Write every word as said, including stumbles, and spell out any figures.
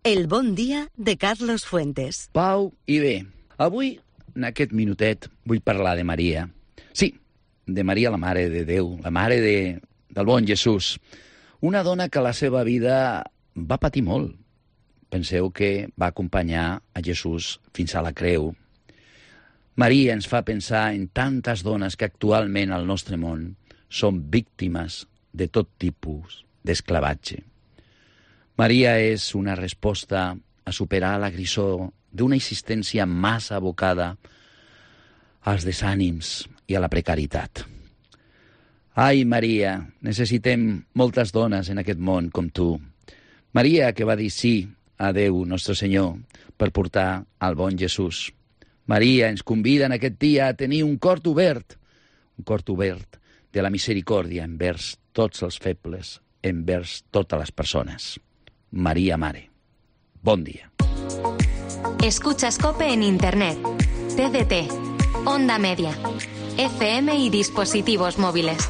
El bon dia de Carlos Fuentes. Pau i bé. Avui, en aquest minutet, vull parlar de Maria. Sí, de Maria, la Mare de Déu, la Mare de, del bon Jesús. Una dona que la seva vida va patir molt. Penseu que va acompanyar a Jesús fins a la creu. Maria ens fa pensar en tantes dones que actualment al nostre món són víctimes de tot tipus d'esclavatge. Maria és una resposta a superar la grisor d'una existència massa abocada als desànims i a la precarietat. Ai, Maria, necessitem moltes dones en aquest món com tu. Maria, que va dir sí a Déu, nostre Senyor, per portar al bon Jesús. Maria ens convida en aquest dia a tenir un cor obert, un cor obert de la misericòrdia envers tots els febles, envers totes les persones. María Mare. Bon día. Escuchas COPE en Internet, T D T, Onda Media, F M y dispositivos móviles.